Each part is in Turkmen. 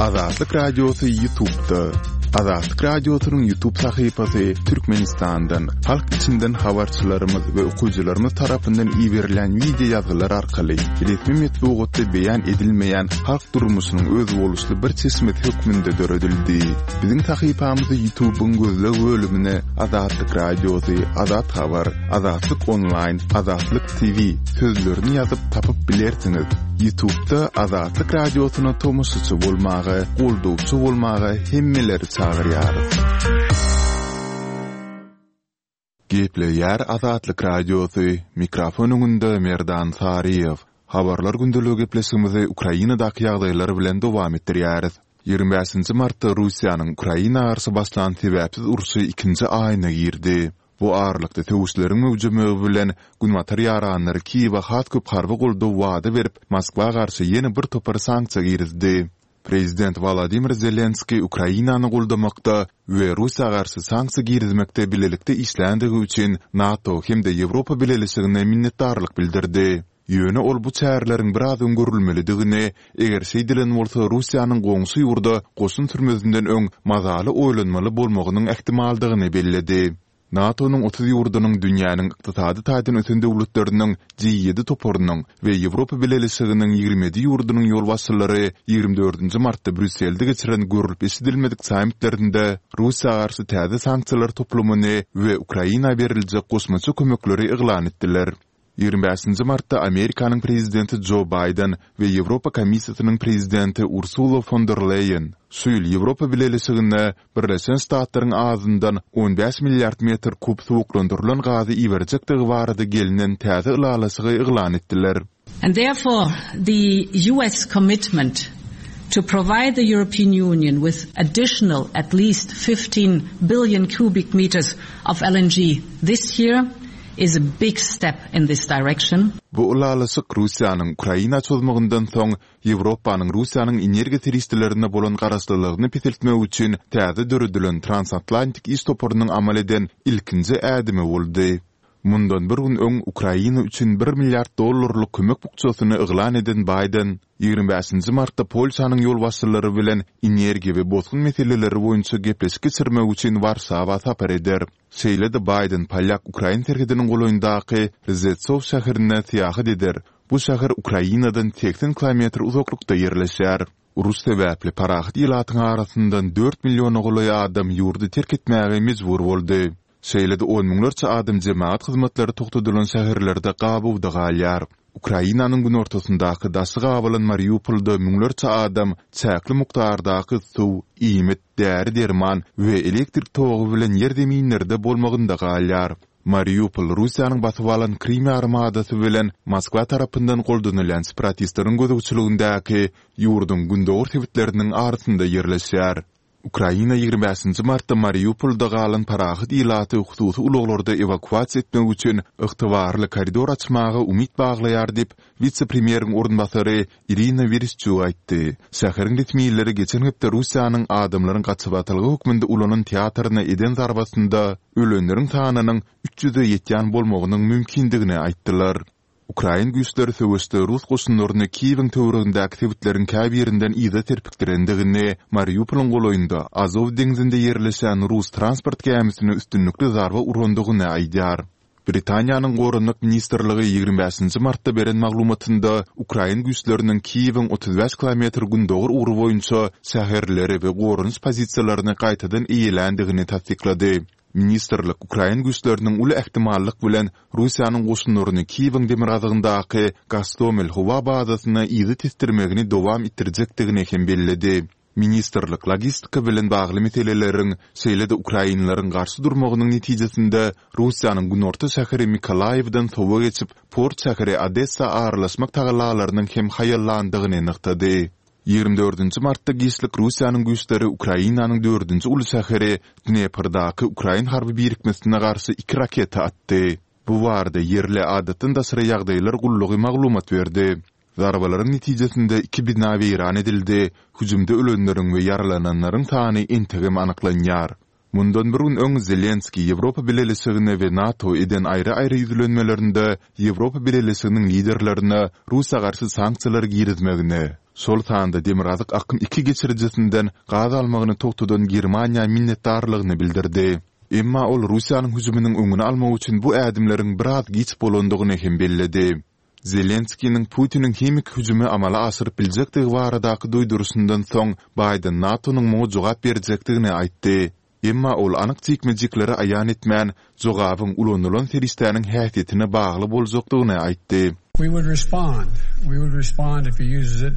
Azatlyk Radiosy Ýutubda. Azatlyk Radiosynyň Ýutub sahypasy Türkmenistandan, halk içinden habarçylarymyz we okyjylarymyz tarapyndan iberilýän wideo ýazgylar arkaly resmi metbugatda beýan edilmeýän halk durmuşynyň özboluşly bir çeşmesi hökmünde döredildi. Biziň sahypamyzy Ýutubyň gözleg bölümine Azatlyk Radiosy, Azat Habar, Azatlyk Onlaýn, Azatlyk TV sözlerini ýazyp tapyp bilersiňiz. Ýutubda Azatlyk Radiosyna tomaşaçy bolmaga, goldawçy bolmaga hemmeleri çagyrýarys. Gepleýär Azatlyk Radiosy, mikrofon öňünde Merdan Saryýew. Habarlar gündeligi gepleşigimizi Ukrainadaky ýagdaýlar bilen dowam etdirýäris. 25-nji martda Russiýanyň Ukraina garşy başlan sebäpsiz urşy ikinji aýyna girdi. Bu aralykda söweşleriň möwjemegi bilen, Günbatar ýaranlary Kiýewe has köp harby goldaw wada berip, Moskwa garşy ýene bir topar sanksiýa girizdi. Prezident Wolodymyr Zelenskiý Ukrainany goldamakda we Russiýa garşy sanksiýa girizmekde bilelikde işländigi üçin NATO hem-de Ýewropa Bileleşigine minnetdarlyk bildirdi. Ýöne ol bu çäreleriň biraz öň görülmelidigini, eger şeýdilen bolsa Russiýanyň goňşy ýurda goşun sürmezinden öň mazaly oýlanmaly bolmagynyň ähtimaldygyny belledi. NATO-nyň 30 ýurdunyň dünýäniň ykdysady taýdan ösen döwletleriniň G-ýedi toparynyň we Ýewropa Bileleşiginiň 27 ýurdunyň ýolbaşçylary 24-nji martda Brýusselde geçiren görlüp-eşidilmedik sammitlerinde Russiýa garşy täze sanksiýalar toplumyny we Ukraina beriljek goşmaça kömekleri yglan etdiler. 25-nji martda Amerikanyň prezidenti Jo Baýden we Ýewropa Komissiýasynyň prezidenti Ursula fon der Leýen şu ýyl Ýewropa Bileleşigine Birleşen Ştatlaryň azyndan 15 milliard metr kub suwuklandyrylan gazy iberjekdigi barada gelnen täze ylalaşygy yglan etdiler. And therefore the US commitment to provide the European Union with additional at least 15 billion cubic meters of LNG this year is a big step in this direction. Bu ylalaşyk Russiýanyň Ukraina çozmagyndan soň Ýewropanyň Russiýanyň energiýa serişdelerine bolan garaşlylygyny peseltmek üçin täze döredilen Transatlantik iş toparynyň amal eden ilkinji ädimi boldy. Mundan bir gün öň Ukraina üçin bir milliard dollarlyk kömek bukjasyny yglan eden Baýden, 25-nji martda Polşanyň ýolbaşçylary bilen energiýa we bosgun meseleleri boýunça gepleşik geçirmek üçin Warşawa sapar eder. Şeýle-de Baýden polýak-ukrain serhediniň golaýyndaky Rzeçow şäherine syýahat eder, bu şäher Ukrainadan 80 kilometr uzaklykda ýerleşýär. Uruş sebäpli parahat ilatyň arasyndan dört milliona golaý adam ýurdy terk etmäge mejbur boldy. Şeýle-de on müňlerçe adam jemagat hyzmatlary togtadylan şäherlerde gabawda galýar. Ukrainanyň günortasyndaky daşy gabalan Mariupolda müňlerçe adam çäkli mukdardaky suw, iýmit, däri-derman we elektrik togy bilen ýer-zeminlerde bolmagynda galýar. Mariupol Russiýanyň basyp alan Krym ýarymadasy bilen Moskwa tarapyndan goldanylýan separatistleriň gözegçiligindäki ýurduň gündogar sebitleriniň arasynda ýerleşýär. Ukraina 25-nji martda Mariupolda galan parahat ilaty hususy ulaglarda ewakuasiýa etmek üçin ygtybarly koridor açmaga umyt baglaýar diýip, wise-premýeriň orunbasary Irina Wereşçuk aýtdy. Şäheriň resmileri geçen hepde Russiýanyň adamlaryň gaçybatalga hökmünde ulanan teatryna eden zarbasynda ölenleriň sanynyň 300-e ýetýän bolmagynyň mümkindigini aýtdylar. Ukrain güýçleri söweşde rus goşunlaryny Kiýewiň töweregindäki sebitleriň käbirinden yza serpikdirendigini, Mariupolyň golaýynda Azow deňzinde ýerleşen rus transport gämisine üstünlikli zarba urandygyny aýdýar. Britaniýanyň Goranmak ministrligi 25-nji martda beren maglumatynda ukrain güýçleriniň Kiýewiň 35 kilometr gündogar ugry boýunça şäherleri we goranyş pozisiýalaryny gaýtadan eýeländigini tassyklady. Ministrlik ukrain güýçleriniň uly ähtimallyk bilen Russiýanyň goşunlaryny Kiýewiň demirgazygyndaky Gostomel howa bazasyna yza tesdirmegini dowam etdirjekdigini hem belledi. Ministrlik logistika bilen bagly meseleleriň, şeýle-de ukrainleriň garşy durmagynyň netijesinde Russiýanyň günorta şäheri Mykolaýiwden sowa geçip, port şäheri Odessa aralaşmak tagallalarynyň hem haýallandygyny nygtady. 24-nji martda giçlik Russiýanyň güýçleri Ukrainanyň dördünji uly şäheri Dneprdaky ukrain harby birikmesine garşy iki raketa atdy. Bu barada ýerli Adatdan daşary ýagdaýlar gullugy maglumat berdi. Zarbalaryň netijesinde iki bina weýran edildi, hüjümde ölenleriň we ýaralananlaryň sany entegem anyklanýar. Mundan bir gün öň Zelenskiý Ýewropa Bileleşigine we NATO eden aýry-aýry ýüzlenmelerinde Ýewropa Bileleşiginiň liderlerine Russiýa garşy sanksiýalary girizmegini, şol sanda Demirgazyk akym iki geçirijisinden gaz almagyny togtadan Germaniýa minnetdarlygyny bildirdi. Emma ol Russiýanyň hüjüminiň öňüni almak üçin bu ädimleriň biraz giç bolandygyny hem belledi. Zelenskiniň Putiniň himiki hüjümi amala aşyryp biljekdigi baradaky duýduryşyndan soň, Baýden NATO-nyň muňa jogap berjekdigini aýtdy. Emma ol anyk jikme-jikleri aýan etmän, jogabyň ulanylan serişdäniň häsiýetine bagly boljakdygyny aýtdy. We would respond. We would respond if he uses it.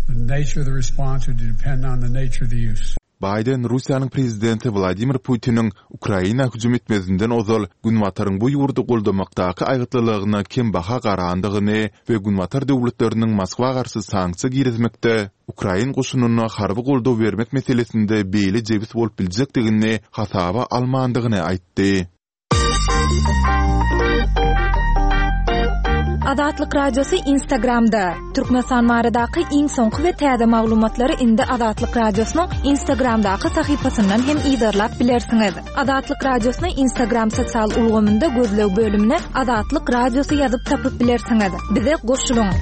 The nature of the response would depend on the nature of the use. Baýden Russiýanyň prezidenti Wladimir Putiniň Ukraina hüjüm etmezinden ozal Günbataryň bu ýurdy goldamakdaky aýgytlylygyna kembaha garandygyny we Günbatar döwletleriniň Moskwa garşy sanksiýa girizmekde ukrain goşunyna harby goldaw bermek meselesinde beýle jebis bolup biljekdigini hasaba almandygyny aýtdy. Azatlyk Radiosy Instagramda, Türkmenistan baradaky iň soňky we täze maglumatlary indi Azatlyk Radiosynyň Instagramdaky sahypasyndan hem yzarlap bilersiňiz. Azatlyk Radiosyny Instagram sosial ulgamynda gözleg bölümine Azatlyk Radiosy ýazyp tapyp bilersiňiz. Bize goşulyň!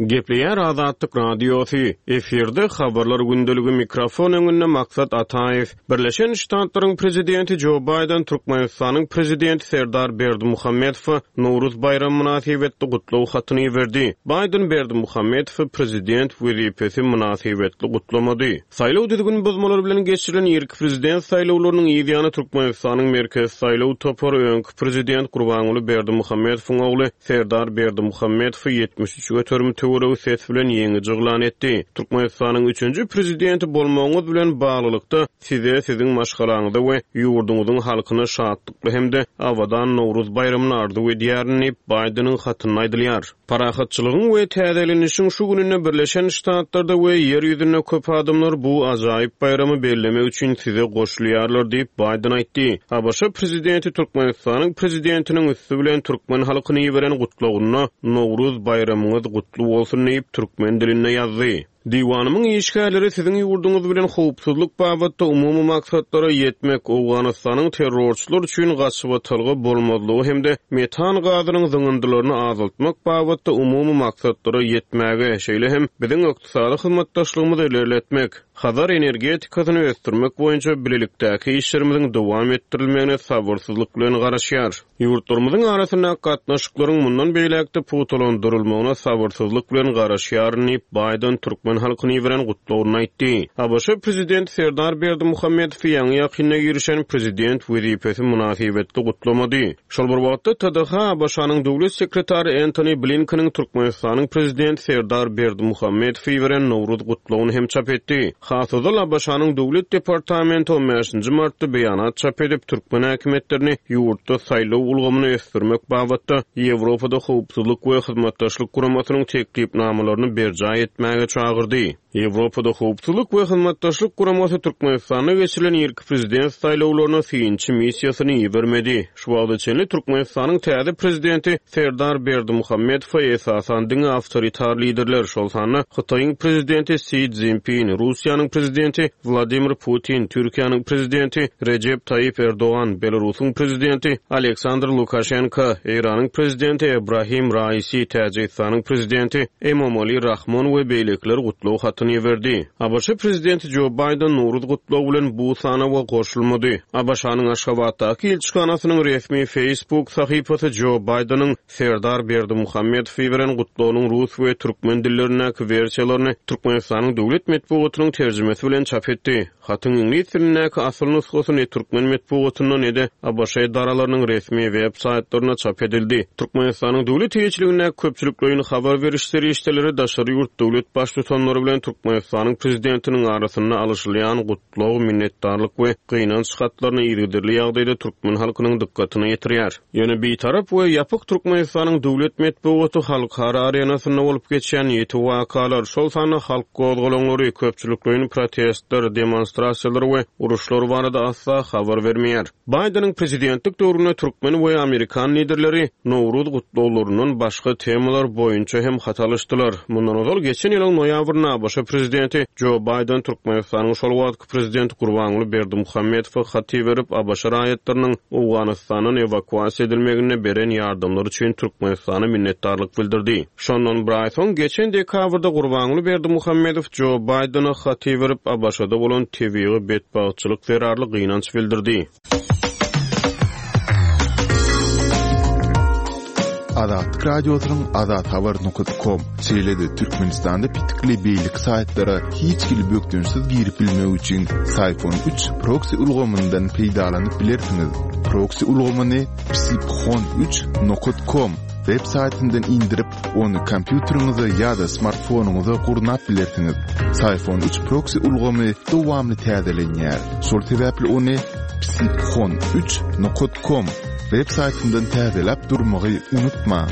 Gepleýär Azatlyk Radiosy, efirde Habarlar gündeligi mikrofon öňünde Maksat Ataýew. Birleşen Ştatlaryň Prezidenti Jo Baýden Türkmenistanyň Prezidenti Serdar Berdimuhamedowa Nowruz baýramy mynasybetli gutlag hatyny iberdi. Baýden Berdimuhamedowy prezident wezipesi mynasybetli gutlamady. Saýlaw düzgün bozmalary bilen geçirilen irki prezident saýlawlarynyň yz ýany Türkmenistanyň Merkezi saýlaw topary öňki prezident Gurbanguly Berdimuhamedowyň ogly Serdar Berdimuhamedowy 73 göterim töweregi ses bilen ýeňiji yglan etdi. Türkmenistanyň üçünji prezidenti bolmagyňyz bilen baglylykda, Size, Siziň maşgalaňyza we ýurduňyzyň halkyna şatlykly hem-de abadan Nowruz baýramyny arzuw edýärin diýip, Baýdeniň hatynda aýdylýar. Parahatçylygyň we täzelenişiň şu gününde Birleşen Ştatlarda we Ýer ýüzünde köp adamlar bu ajaýyp baýramy bellemek üçin size goşulýarlar diýip, Baýden aýtdy. ABŞ prezidenti Türkmenistanyň prezidentiniň üsti bilen türkmen halkyna iberen gutlagynda Nowruz baýramyňyz gutly bolsun diýip, türkmen dilinde ýazdy. Diwanymyň işgärleri siziň ýurduňyz bilen howpsuzlyk babatda umumy maksatlara ýetmek, Owganystanyň terrorçylar üçin gaçybatalga bolmazlygy hem-de metan gazynyň zyňyndylaryny azaltmak babatda umumy maksatlara ýetmäge, şeýle hem biziň ykdysady hyzmatdaşlygymyzy ilerletmek, Hazar energetikasyny ösdürmek boýunça bilelikdäki işlerimiziň dowam etdirilmegine sabyrsyzlyk bilen garaşýar. Ýurtlarymyzyň arasyndaky gatnaşyklaryň mundan beýläk-de pugtalandyrylmagyna sabyrsyzlyk bilen garaşýaryn diýip, Baýden türkmen halkyna iberen gutlagynda aýtdy. ABŞ Prezidenti Serdar Berdimuhamedowy ýaňy-ýakynda girişen prezident wezipesi mynasybetli gutlamady. Şol bir wagtda, TDH ABŞ-nyň Döwlet sekretary Entoni Blinkeniň Türkmenistanyň Prezidenti Serdar Berdimuhamedowa iberen Nowruz gutlagyny hem çap etdi. Has ozal ABŞ-nyň Döwlet departamenti on bäşinji martda beýanat çap edip, türkmen häkimiýetlerini ýurtda saýlaw ulgamyny ösdürmek babatda Ýewropada Howpsuzlyk we Hyzmatdaşlyk Guramasynyň teklipnamalaryny berjaý etmäge çagyrdy. Ýewropada Howpsuzlyk we Hyzmatdaşlyk Guramasy Türkmenistanda geçirilen irki prezident saýlawlaryna synçy missiýasyny ibermedi. Şu wagta çenli Türkmenistanyň täze prezidenti Serdar Berdimuhamedowa esasan diňe awtoritar liderler, şol sanda Hytaýyň prezidenti Si Szinpin, Russiýanyň prezidenti Wladimir Putin, Türkiýäniň prezidenti Rejep Taýyp Erdogan, Belarusyň prezidenti Aleksandr Lukaşenko, Eýranyň prezidenti Ebrahim Raisi, Täjigistanyň prezidenti Emomali Rahmon we beýlekiler gutlag hatyny iberdi. ABŞ prezidenti Jo Baýden Nowruz gutlagy bilen bu sanawa goşulmady. ABŞ-nyň Aşgabatdaky ilçihanasynyň resmi Facebook sahypasy Jo Baýdeniň Serdar Berdimuhamedowa iberen gutlagynyň rus we türkmen dillerindäki wersiýalaryny Türkmenistanyň döwlet metbugatynyň terjimesi bilen çap etdi. Hatyň iňlis dilindäki asyl nusgasy ne türkmen metbugatynda, ne-de ABŞ edaralarynyň resmi web saýtlarynda çap edildi. Türkmenistanyň döwlet eýeçiligindäki köpçülikleýin habar beriş serişdeleri daşary ýurt döwlet Baştutanlary bilen Türkmenistanyň Prezidentiniň arasynda alyşylýan gutlag, minnetdarlyk we gynanç hatlaryny yzygiderli ýagdaýda türkmen halkynyň dykgatyna ýetirýär. Ýöne Bitarap we ýapyk Türkmenistanyň döwlet metbugaty halkara arenasynda bolup geçýän ýiti wakalar, şol sanda halk gozgalaňlary, köpçülikleýin protestler, demonstrasiýalar we uruşlar barada asla habar bermeýär. Baýdeniň prezidentlik döwründe türkmen we amerikan liderleri Nowruz gutlaglaryndan başga temalar boýunça hem hat alyşdylar. Mundan ozal geçen ýylyň noýabrynda abş. prezidenti Jo Baýden Türkmenistanyň şol wagtky prezidenti Gurbanguly Berdimuhamedowa hat iberip, ABŞ raýatlarynyň Owganystandan ewakuasiýa edilmeginde beren ýardamlary üçin Türkmenistana minnetdarlyk bildirdi. Şondan bir aý soň, geçen dekabrda Gurbanguly Berdimuhamedow Jo Baýdene hat iberip, ABŞ-da bolan tebigy betbagtçylyk zerarly gynanç bildirdi. Azatlyk Radiosynyň azathabar nokat kom, şeýle-de Türkmenistanda petikli beýleki saýtlara hiç hili bökdençsiz girip bilmek üçin Syfon üç proksi ulgamyndan peýdalanyp bilersiňiz. Proksi ulgamyny psiphon üç nokat kom web saýtyndan indirip, ony kompýuteriňize ýa-da smartfonyňyza gurnap bilersiňiz. Syfon üç proksi ulgamy dowamly täzelenýär. Şol sebäpli ony psiphon üç nokat kom web saýtyndan täzeläp durmagy unutmaň.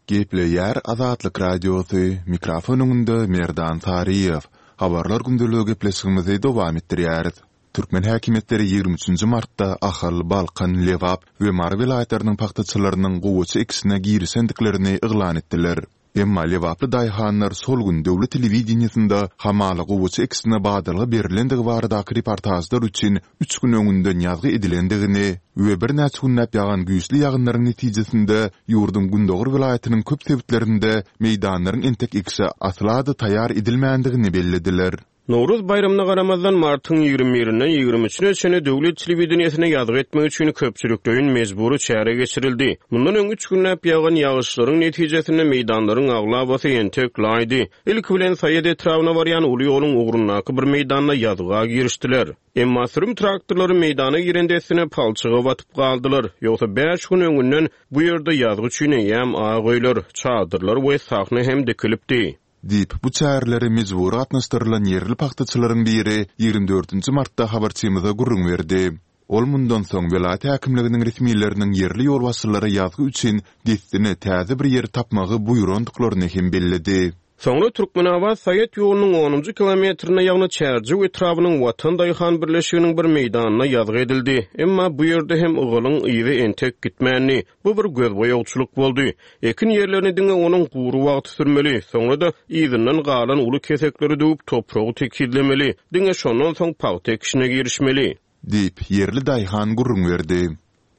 Gepleýär Azatlyk Radiosy, mikrofon öňünde Merdan Saryýew. Habarlar gündeligi gepleşigimizi dowam etdirýäris. Türkmen häkimiýetleri 23 nji martda Ahal, Balkan, Lebap we Mary welaýatlarynyň pagtaçylarynyň gowaça ekişine girişendiklerini yglan etdiler. Emma lebaply daýhanlar şol gün döwlet telewideniýesinde hamala gowaça ekişine badalga berlendigi baradaky reportažlar üçin üç gün öňünden ýazgy edilendigini we birnäçe günläp ýagan güýçli ýagynlaryň netijesinde ýurduň gündogar welaýatynyň köp sebitlerinde meýdanlaryň entek ekişe asla-da taýýar edilmändigini bellediler. Nowruz baýramyna garamazdan, martyň ýigrimi birinden ýigrimi üçüne çenli döwlet telewideniýesine ýazgy etmek üçin köpçülikleýin mejbury çäre geçirildi. Mundan öň üç günläp ýagan ýagyşlaryň netijesinde meýdanlaryň aglabasy entek laýdy. Ilki bilen Saýat etrabyna barýan uly ýoluň ugrundaky bir meýdanda ýazga girişdiler. Emma sürüm traktorlary meýdana giren dessine palçyga batyp galdylar. Ýogsa bäş gün öňünden bu ýerde ýazgy üçin eýýäm ak öýler, çadyrlar we sahna hem dikilipdi. Diýip, bu çärelere mejbury gatnaşdyrylan ýerli pagtaçylaryň biri ýigrimi dördünji martda habarçymyza gürrüň berdi. Ol mundan soň welaýat häkimliginiň resmileriniň ýerli ýolbaşçylara ýazgy üçin dessine täze bir ýer tapmagy buýrandyklaryny hem belledi. Soňra Türkmenabat-Saýat ýolunyň onunjy kilometrinde, ýagny Çärjew etrabynyň Watan daýhan birleşiginiň bir meýdanynda ýazgy edildi. Emma bu ýerde hem ygalyň yzy entek gitmändi. Bu bir gözboýagçylyk boldy. Ekin ýerlerini diňe onuň gury wagty sürmeli, soňra-da yzyndan galan uly kesekleri döwüp, topragy tekizlemeli, diňe şondan soň pagta ekişine girişmeli. Diýip, ýerli daýhan gürrüň berdi.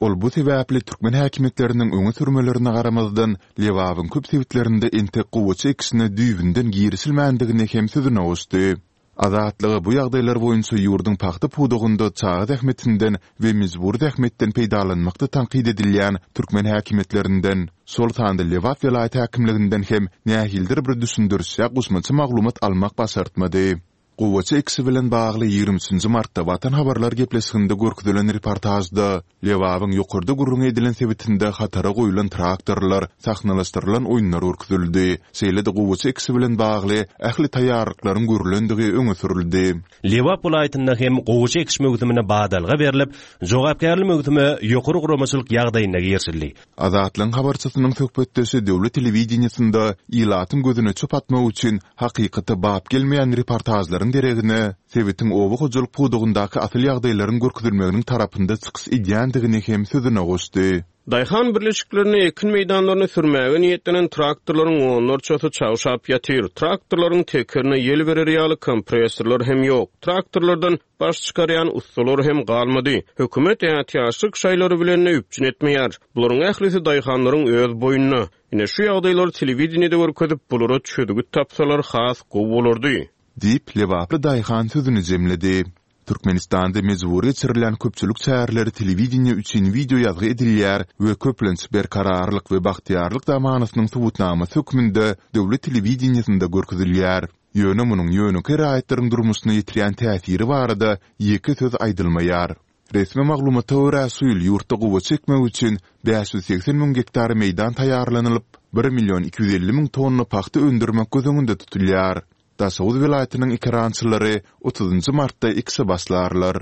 Ol bu sebäpli türkmen häkimiýetleriniň öňe sürmelerine garamazdan, Lebabyň köp sebitlerinde entek gowaça ekişine düýbünden girişilmändigini hem sözüne goşdy. Azatlyga bu ýagdaýlar boýunça ýurduň pagta pudagynda çaga zähmetinden we mejbury zähmetden peýdalanmakda tankyt edilýän türkmen häkimiýetlerinden, şol sanda Lebap welaýat häkimliginden hem nähilidir bir düşündiriş ýa goşmaça maglumat almak başartmady. Gowaça ekişi bilen bagly ýigrimi üçünji martda Watan habarlar gepleşiginde görkezilen reportažda Lebabyň ýokarda gürrüňi edilen sebitinde hatara goýlan traktorlar, sahnalaşdyrylan oýunlar görkezildi. Şeýle-de gowaça ekişi bilen bagly ähli taýýarlyklaryň görlendigi öňe sürüldi. Lebap welaýatynda hem gowaça ekiş möwsümine badalga berlip, jogapkärli möwsüme ýokary guramaçylyk ýagdaýynda girişildi. Azatlygyň habarçysynyň söhbetdeşi döwlet telewideniýesinde ilatyň gözüne çöp atmak üçin hakykata bap gelmeýän reportažlaryň deregine, sebitiň oba hojalyk pudagyndaky asyl ýagdaýlaryň görkezilmeginiň tarapynda çykyş edýändigini hem sözüne goşdy. Daýhan birleşiklerinde ekin meýdanlaryny sürmäge niýetlenen traktorlaryň onlarçasy çagşap ýatyr. Traktorlaryň tekerine ýel berer ýaly kompressorlar hem ýok. Traktorlardan Baş çykarýan ussalar hem galmady. Hökümet ätiýaçlyk şaýlary bilen-de üpjün etmeýär. Bularyň ählisi daýhanlaryň öz boýnuna. Ine, şu ýagdaýlary telewideniýede görkezip, bulara çözgüt tapsalar has gowy bolardy. Diýip, lebaply daýhan sözüni jemledi. Türkmenistanda mejbury geçirilýän köpçülik çäreleri telewideniýe üçin wideoýazgy edilýär we köplenç Berkararlyk we bagtyýarlyk zamanasynyň subutnamasy hökmünde döwlet telewideniýesinde görkezilýär. Ýöne munuň ýönekeý raýatlaryň durmuşyna ýetirýän täsiri barada ýeke söz aýdylmaýar. Resmi maglumata görä, şu ýyl ýurtda gowaça ekmek üçin 580 müň gektar meýdan taýýarlanylyp, bir million 250 müň tonna pagta öndürmek göz öňünde tutulýar. Daşoguz welaýatynyň ekerançylary otuzynjy martda ekişe başlarlar.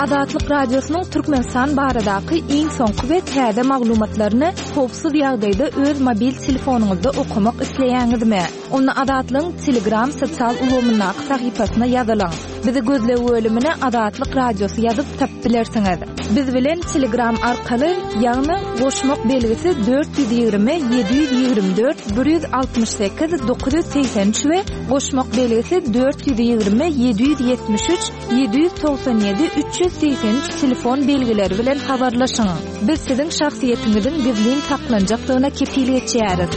Azatlyk Radiosynyň Türkmenistan baradaky iň soňky we täze maglumatlaryny howpsuz ýagdaýda öz mobil telefonyňyzda okamak isleýäňizmi? Onda Azatlygyň Telegram sosial ulgamyndaky sahypasyna ýazylyň. Bizi gözleg bölümine Azatlyk Radiosy ýazyp tapyp bilersiňiz. Biz bilen Telegram arkaly, ýagny goşmak belgisi 420 724 168 983 we goşmak belgisi 420 773 797 383 telefon belgileri bilen habarlaşyň. Biz siziň şahsyýetiňiziň gizlin saklanjakdygyna kepil geçýäris.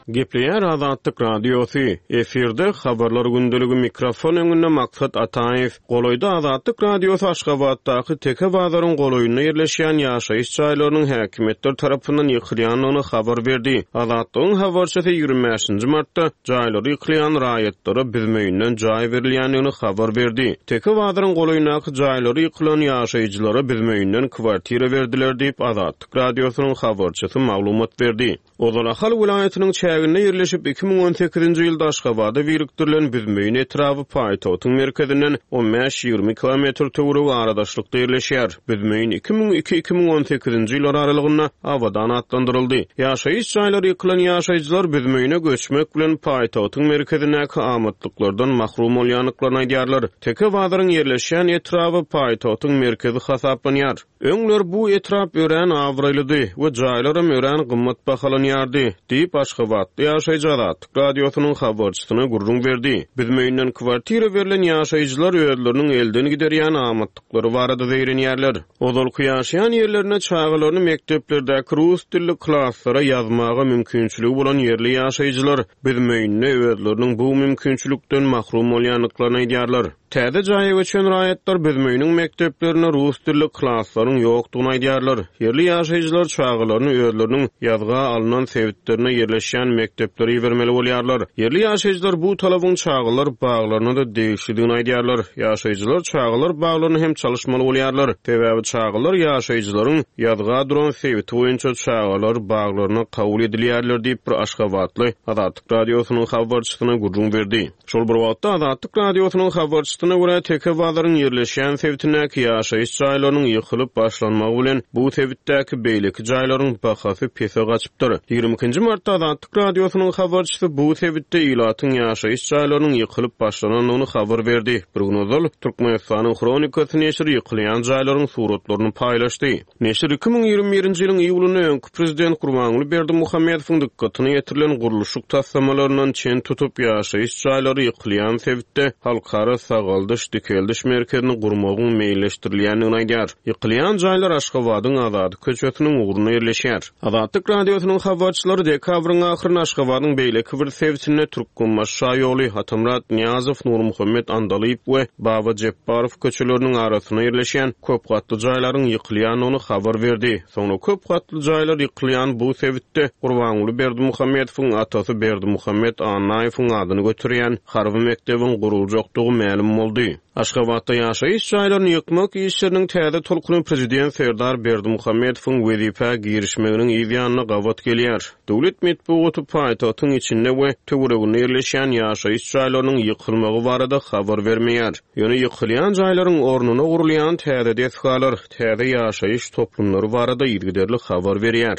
Gepleýär Azatlyk Radiosy, efirde Habarlar gündeligi mikrofon öňünde Maksat Ataýew. Golaýda Azatlyk Radiosy Aşgabatdaky Teke bazaryň golaýynda ýerleşýän ýaşaýyş jaýlarynyň häkimiýetler tarapyndan ýykylýandygyny habar berdi. Azatlygyň habarçysy 25-nji martda jaýlary ýykylýan raýatlara Büzmeýinden jaý berilýändigini habar berdi. Teke bazaryň golaýyndaky jaýlary ýykylan ýaşaýjylara Büzmeýinden kwartira berdiler diýip, Azatlyk Radiosynyň habarçysy maglumat berdi. Ozal Ahal welaýatynyň çäginde ýerleşip, 2018-nji ýylda Aşgabada birikdirilen Büzmeýin etraby paýtagtyň merkezinden on bäş-ýigrimi kilometr töweregi aradaşlykda ýerleşýär. Büzmeýin 2002, 2018-nji ýyllar aralygynda Abadan atlandyryldy. Ýaşaýyş jaýlary ýykylan ýaşaýjylar Büzmeýine göçmek bilen paýtagtyň merkezindäki amatlyklardan mahrum bolýandyklaryny aýdýarlar. Teke bazaryň ýerleşýän etraby paýtagtyň merkezi hasaplanýar. Öňler bu etrap örän abraýlydy we jaýlaram örän gymmat bahalanýardy, diýip, aşgabatly ýaşaýjy Azatlyk Radiosynyň habarçysyna gürrüň berdi. Büzmeýinden kwartira berlen ýaşaýjylar özleriniň elden giderýän amatlyklary barada zeýrenýärler. Ozalky ýaşaýan ýerlerinde çagalaryny mekdeplerdäki rus dilli klaslara ýazmaga mümkinçiligi bolan ýerli ýaşaýjylar Büzmeýinde özleriniň bu mümkinçilikden mahrum bolýandyklaryny aýdýarlar. Täze jaýa göçen raýatlar Büzmeýiniň mekdeplerinde rus dilli klaslaryň ýokdugyny aýdýarlar. Ýerli ýaşaýjylar çagalaryny özleriniň ýazga alnan sebitlerinde ýerleşýän mekdeplere ibermeli bolýarlar. Ýerli ýaşaýjylar bu talabyň çagalar baglaryna-da degişlidigini aýdýarlar. Ýaşaýjylar çagalar baglaryny hem çalyşmaly bolýarlar. Sebäbi çagalar ýaşaýjylaryň ýazga duran sebiti boýunça çagalar baglaryna kabul edilýärler diýip, bir aşgabatly Azatlyk Radiosynyň habarçysyna gürrüň berdi. Şol bir wagtda, Azatlyk Radiosynyň habarçysyna görä, Teke bazaryň ýerleşýän sebitindäki ýaşaýyş jaýlarynyň ýykylyp başlanmagy bilen, bu sebitdäki beýleki jaýlaryň bahasy pese gaçypdyr. Ýigrimi ikinji martda Azatlyk Radiosynyň habarçysy bu sebitde ilatyň ýaşaýyş jaýlarynyň ýykylyp başlanandygyny habar berdi. Bir gün ozal, Türkmenistanyň Hronikasy neşiri ýykylýan jaýlaryň suratlaryny paýlaşdy. Neşir 2021-nji ýylyň iýulynda öňki prezident Gurbanguly Berdimuhamedowyň dykgatyna ýetirilen gurluşyk taslamalaryndan çen tutup, ýaşaýyş jaýlary ýykylýan sebitde Halkara sagaldyş-dikeldiş merkezini gurmagyň meýilleşdirilýändigini aýdýar. Ýykylýan jaýlar Aşgabadyň Azady köçesiniň ugrunda ýerleşýär. Azatlyk Radiosynyň habarçylary dekabryň ahyrynda Aşgabadyň beýleki bir sebitinde Türkmenbaşy şaýoly, Atamyrat Nyýazow, Nurmuhammet Andalyp we Baba Jepbarow köçeleriniň arasynda ýerleşýän köp gatly jaýlaryň ýykylýandygyny habar berdi. Soňra köp gatly jaýlar ýykylýan bu sebitde Gurbanguly Berdimuhamedowyň atasy Berdimuhamet Annaýewiň adyny göterýän harby mekdebiň guruljakdygy mälim boldy. Aşgabatda ýaşaýyş jaýlaryny ýykmak işleriniň täze tolkuny prezident Serdar Berdimuhamedowyň wezipä girişmeginiň yz ýanyna gabat gelýär. Döwlet metbugaty paýtagtyň içinde we töwereginde ýerleşýän ýaşaýyş jaýlarynyň ýykylmagy barada habar bermeýär. Ýöne ýykylýan jaýlaryň ornuna gurulýan täze desgalar, täze ýaşaýyş toplumlary barada yzygiderli habar berýär.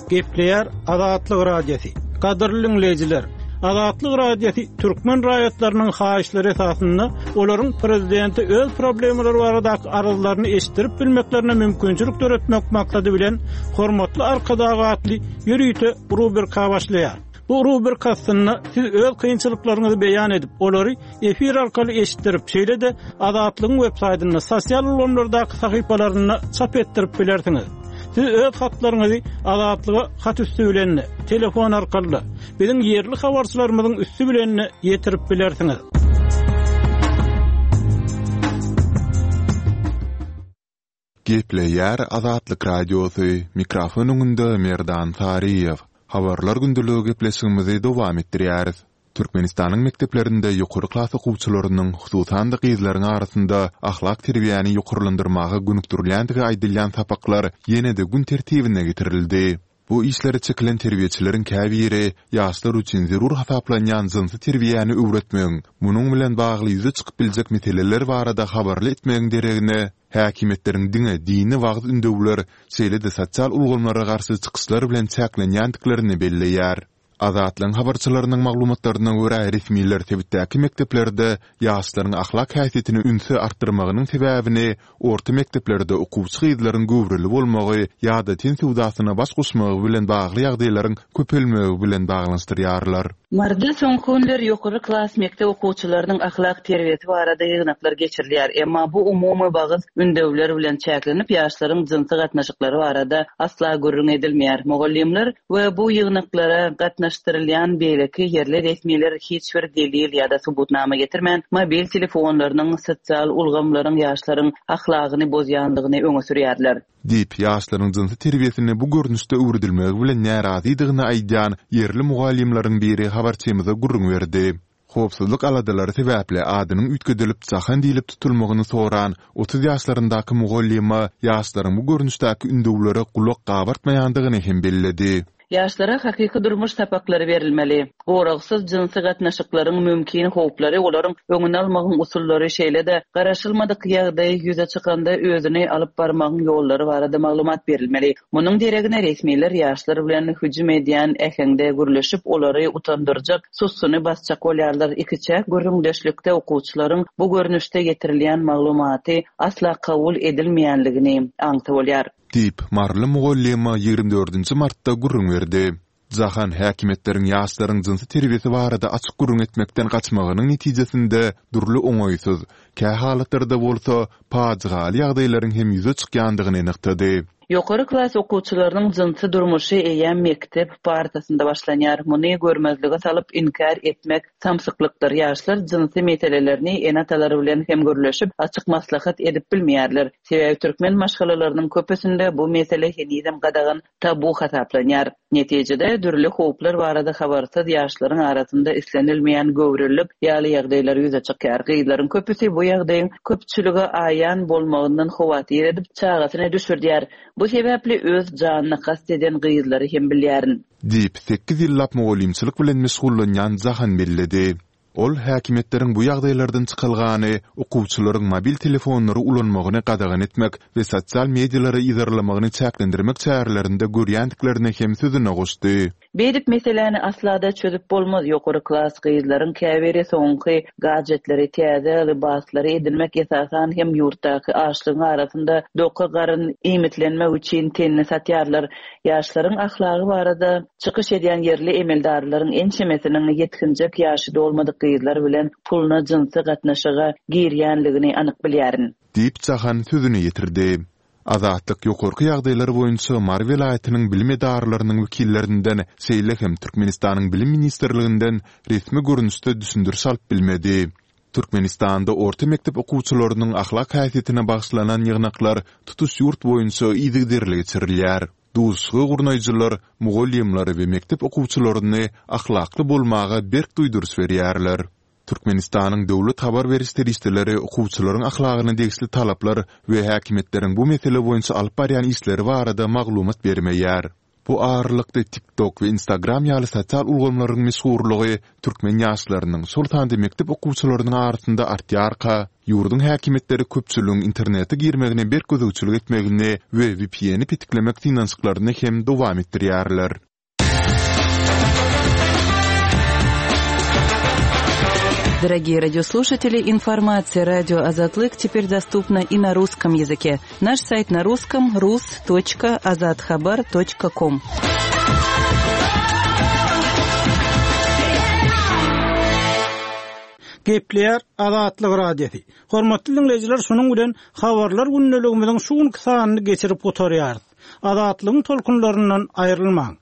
Gepleýär Azatlyk Radiosy. Gadyrly diňleýjiler, Azatlyk Radiosy türkmen raýatlarynyň haýyşlary esasynda olaryň prezidente öz problemalary baradaky arzlaryny eşitdirip bilmeklerine mümkinçilik döretmek maksady bilen Hormatly Arkadag atly ýörite rubrika başlaýar. Bu rubrika astynda siz öz kynçylyklaryňyzy beýan edip, olary efir arkaly eşitdirip, şeýle-de Azatlygyň web saýtynda, sosial ulgamlardaky sahypalarynda çap etdirip bilersiňiz. Siz öz hatlaryňyzy Azatlyga hat üsti bilen-de, telefon arkaly-da, biziň ýerli habarçylarymyzyň üsti bilen-de ýetirip bilersiňiz. Gepleýär Azatlyk Radiosy, mikrofon öňünde Merdan Saryýew. Habarlar gündeligi gepleşigimizi dowam etdirýäris. Türkmenistanyň mekdeplerinde ýokary klas okuwçylarynyň, hususan-da gyzlaryň arasynda ahlak terbiýäni ýokarlandyrmaga gönükdirilýändigi aýdylýan sapaklar ýene-de gün tertibine getirildi. Bu işlere çekilen terbiýeçileriň käbiri ýaşlar üçin zerur hasaplanýan jynsy terbiýäni öwretmegiň, munuň bilen bagly ýüze çykyp biljek meseleler barada habarly etmegiň deregine, häkimiýetleriň diňe dini wagyz-ündewler, şeýle-de sosial ulgamlara garşy çykyşlar bilen çäklenýändiklerini belleýär. Azatlygyň habarçylarynyň maglumatlaryna görä, resmiler sebitdäki mekdeplerde ýaşlaryň ahlak häsiýetine ünsi artdyrmagynyň sebäbini orta mekdeplerde okuwçy gyzlaryň göwreli bolmagy ýa-da ten söwdasyna baş goşmagy bilen bagly ýagdaýlaryň köpelmegi bilen baglanyşdyrýarlar. Maryda soňky günler ýokary klas mekdep okuwçylarynyň ahlak terbiýesi barada ýygnaklar geçirilýär. Emma bu umumy wagyz ündewler bilen çäklenip, ýaşlaryň jynsy gatnaşyklary barada asla gürrüň edilmeýär. Mugallymlar we bu ýygnaklara gatnaşdyrylýan beýleki ýerli resmiler hiç bir delil ýa-da subutnama getirmän, mobil telefonlarynyň, sosial ulgamlaryň ýaşlaryň ahlagyny bozýandygyny öňe sürýärler. Diýip, ýaşlaryň jynsy terbiýesini bu görnüşde öwredilmegi bilen närazydygyny aýdýan ýerli mugallymlaryň biri habarçymyza gürrüň berdi. Howpsuzlyk aladalary sebäpli adynyň üýtgedilip Jahan diýlip tutulmagyny soran 30 ýaşlaryndaky mugallyma ýaşlaryň bu görnüşdäki ündewlere gulak gabartmaýandygyny hem belledi. Ýaşlara hakyky durmuş sapaklary berilmeli. Goragsyz jynsy gatnaşyklaryň mümkin howplary, olaryň öňüni almagyň usullary, şeýle-de garaşylmadyk ýagdaý ýüze çykanda özüni alyp barmagyň ýollary barada maglumat berilmeli. Munuň deregine resmiler ýaşlar bilen hüjüm edýän äheňde gürleşip, olary utandyrjak, sussuny basjak bolýarlar. Ikiçäk gürrüňdeşlikde okuwçylaryň bu görnüşde getirilýän maglumaty asla kabul edilmeýänligini aňsa bolýar. Diýip, maryly mugallyma 24 dördünji martda gürrüň berdi. Jahan häkimiýetleriň ýaşlaryň jynsy terbiýesi barada açyk gürrüň etmekden gaçmagynyň netijesinde dürli oňaýsyz, kähalatlarda bolsa pajygaly ýagdaýlaryň hem ýüze çykýandygyny nygtady. Ýokary klas okuwçylarynyň jynsy durmuşy eýýäm mekdep partasynda başlanýar. Muny görmezlige salyp, inkär etmek samsyklykdyr. Ýaşlar jynsy meselelerini ene-atalary bilen hem gürleşip, açyk maslahat edip bilmeýärler. Sebäbi türkmen maşgalalarynyň köpüsinde bu mesele henizem gadagan, tabu hasaplanýar. Netijede, dürli howplar barada habarsyz ýaşlaryň arasynda islenilmeýän göwrelilik ýaly ýagdaýlar ýüze çykýar. Gyzlaryň köpüsi bu ýagdaýyň köpçülige aýan bolmagyndan howatyr edip, çagasyny düşürdýär. Bu sebäpli öz janyna kast eden gyzlary hem bilýärin. Diýip, sekiz ýyllap mugallymçylyk bilen meşgullanýan Jahan belledi. Ol häkimiýetleriň bu ýagdaýlardan çykalgany okuwçylaryň mobil telefonlary ulanmagyny gadagan etmek we sosial medialary yzarlamagyny çäklendirmek çärelerinde görýändiklerini hem sözüne goşdy. Beýdip meseläni asla-da çözüp bolmaz, ýokary klas gyzlaryň käbiri soňky gadjetleri, täze lybaslary edinmek esasan hem ýurtdaky açlygyň arasynda doka garyn iýmitlenmek üçin tenini satýarlar. Ýaşlaryň ahlagy barada çykyş edýän ýerli emeldarlaryň ençemesiniň ýetginjek ýaşy dolmadyk gyzlar bilen puluna jynsy gatnaşyga girýänligini anyk bilýärin. Diýip, Jahan sözüni ýetirdi. Azatlyk ýokarky ýagdaýlar boýunça Mary welaýatynyň bilim edaralarynyň wekillerinden, şeýle hem Türkmenistanyň Bilim ministrliginden resmi görnüşde düşündiriş alyp bilmedi. Türkmenistanda orta mekdep okuwçylarynyň ahlak häsiýetine bagyşlanan ýygnaklar tutuş ýurt boýunça yzygiderli geçirilýär. Duşuşygy gurnaýjylar mugallymlary we mekdep okuwçylaryny ahlakly bolmaga berk duýduryş berýärler. Türkmenistanyň döwlet habar beriş serişdeleri okuwçylaryň ahlagyna degişli talaplar we häkimiýetleriň bu mesele boýunça alyp barýan işleri barada maglumat bermeýär. Bu aralykda TikTok we Instagram ýaly sosial ulgamlaryň meşhurlygy türkmen ýaşlarynyň, şol sanda mekdep okuwçylarynyň arasynda artýarka, ýurduň häkimiýetleri köpçüligiň internete girmegine berk gözegçilik etmegini we VPN-i petiklemek synanyşyklaryny hem dowam etdirýärler. Дорогие радиослушатели, информация радио Азатлык теперь доступна и на русском языке. Наш сайт на русском rus.azathabar.com. Gepleýär Azatlyk Radiosy. Hormatly diňleýjiler, şunuň bilen Habarlar gündeligimiziň şu günki sanyny geçirip gutarýarys. Azatlygyň tolkunlaryndan aýrylmaň!